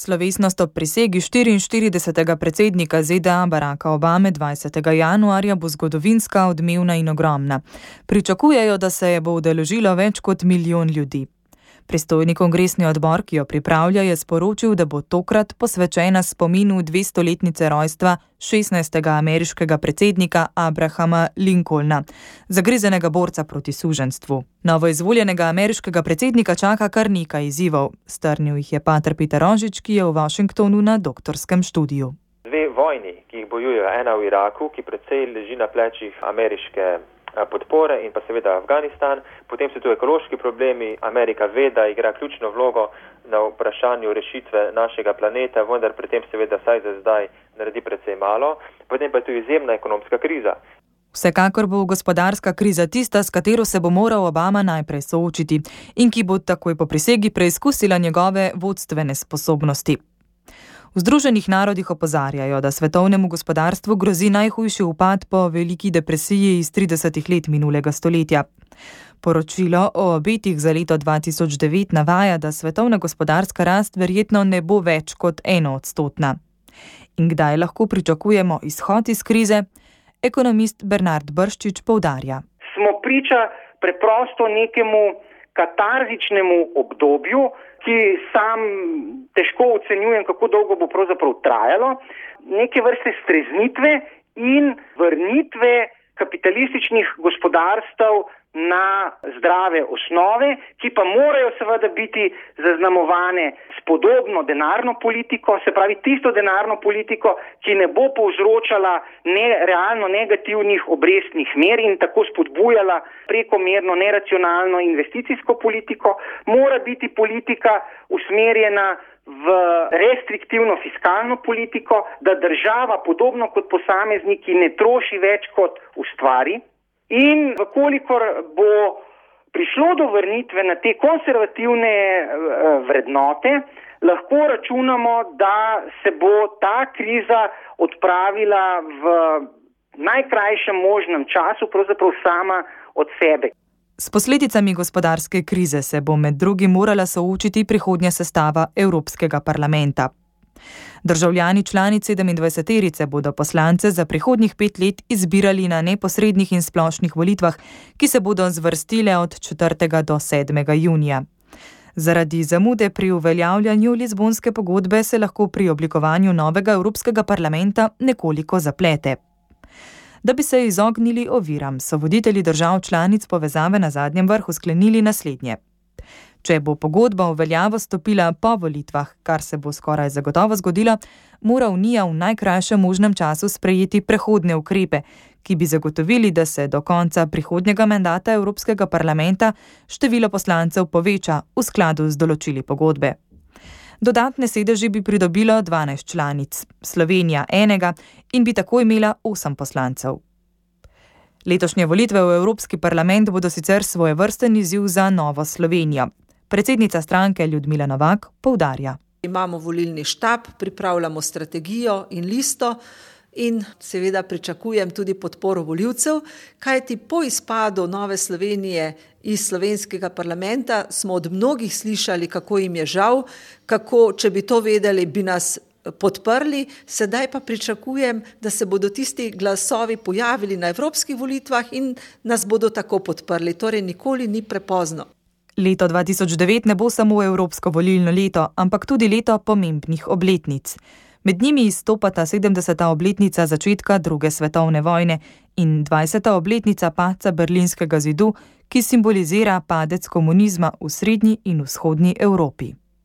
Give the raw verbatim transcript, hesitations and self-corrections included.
Slovesnost ob prisegi štiriinštiridesetega predsednika Z D A Baracka Obame dvajsetega januarja bo zgodovinska, odmevna in ogromna. Pričakujejo, da se je bo udeležilo več kot milijon ljudi. Pristojni kongresni odbor, ki jo pripravlja, je sporočil, da bo tokrat posvečena spominu dvestoletnice rojstva šestnajstega ameriškega predsednika Abrahama Lincolna, zagrizenega borca proti suženjstvu. Novoizvoljenega ameriškega predsednika čaka kar nekaj izzivov. Strnil jih je pater Peter Rožič, ki je v Washingtonu na doktorskem študiju. Dve vojni, ki jih bojujejo, ena v Iraku, ki precej leži na plečih ameriške podpore, in pa seveda Afganistan. Potem so tu ekološki problemi. Amerika ve, da igra ključno vlogo na vprašanju rešitve našega planeta, vendar pri tem seveda saj za zdaj naredi precej malo. Potem pa je tu izjemna ekonomska kriza. Vsekakor bo gospodarska kriza tista, s katero se bo moral Obama najprej soočiti in ki bo takoj po prisegi preizkusila njegove vodstvene sposobnosti. V Združenih narodih opozarjajo, da svetovnemu gospodarstvu grozi najhujši upad po veliki depresiji iz tridesetih let minulega stoletja. Poročilo o obetih za leto dva tisoč devet navaja, da svetovna gospodarska rast verjetno ne bo več kot enoodstotna. In kdaj lahko pričakujemo izhod iz krize? Ekonomist Bernard Brščič poudarja. Smo priča preprosto nekemu katarzičnemu obdobju, ki sam težko ocenjujem, kako dolgo bo pravzaprav trajalo, neke vrste streznitve in vrnitve kapitalističnih gospodarstev na zdrave osnove, ki pa morajo seveda biti zaznamovane s podobno denarno politiko, se pravi tisto denarno politiko, ki ne bo povzročala ne, realno negativnih obrestnih mer in tako spodbujala prekomerno neracionalno investicijsko politiko, mora biti politika usmerjena v restriktivno fiskalno politiko, da država podobno kot posamezniki ne troši več kot ustvari. In vkolikor bo prišlo do vrnitve na te konservativne vrednote, lahko računamo, da se bo ta kriza odpravila v najkrajšem možnem času, pravzaprav sama od sebe. S posledicami gospodarske krize se bo med drugim morala soočiti prihodnja sestava Evropskega parlamenta. Državljani članic sedemindvajseterice bodo poslance za prihodnjih pet let izbirali na neposrednih in splošnih volitvah, ki se bodo zvrstile od četrtega do sedmega junija. Zaradi zamude pri uveljavljanju Lizbonske pogodbe se lahko pri oblikovanju novega Evropskega parlamenta nekoliko zaplete. Da bi se izognili oviram, so voditelji držav članic povezave na zadnjem vrhu sklenili naslednje. Če bo pogodba v veljavo stopila po volitvah, kar se bo skoraj zagotovo zgodilo, mora Unija v najkrajšem možnem času sprejeti prehodne ukrepe, ki bi zagotovili, da se do konca prihodnjega mandata Evropskega parlamenta število poslancev poveča v skladu z določili pogodbe. Dodatne sedeži bi pridobilo dvanajst članic, Slovenija enega in bi tako imela osem poslancev. Letošnje volitve v Evropski parlament bodo sicer svojevrsten izziv za Novo Slovenijo. Predsednica stranke Ljudmila Novak poudarja. Imamo volilni štab, pripravljamo strategijo in listo in seveda pričakujem tudi podporo volivcev, kajti po izpadu Nove Slovenije iz slovenskega parlamenta smo od mnogih slišali, kako jim je žal, kako, če bi to vedeli, bi nas podprli, sedaj pa pričakujem, da se bodo tisti glasovi pojavili na evropskih volitvah in nas bodo tako podprli, torej nikoli ni prepozno. Leto dva tisoč devet ne bo samo evropsko volilno leto, ampak tudi leto pomembnih obletnic. Med njimi izstopata sedemdeseta obletnica začetka druge svetovne vojne in dvajseta obletnica padca Berlinskega zidu, ki simbolizira padec komunizma v srednji in vzhodni Evropi.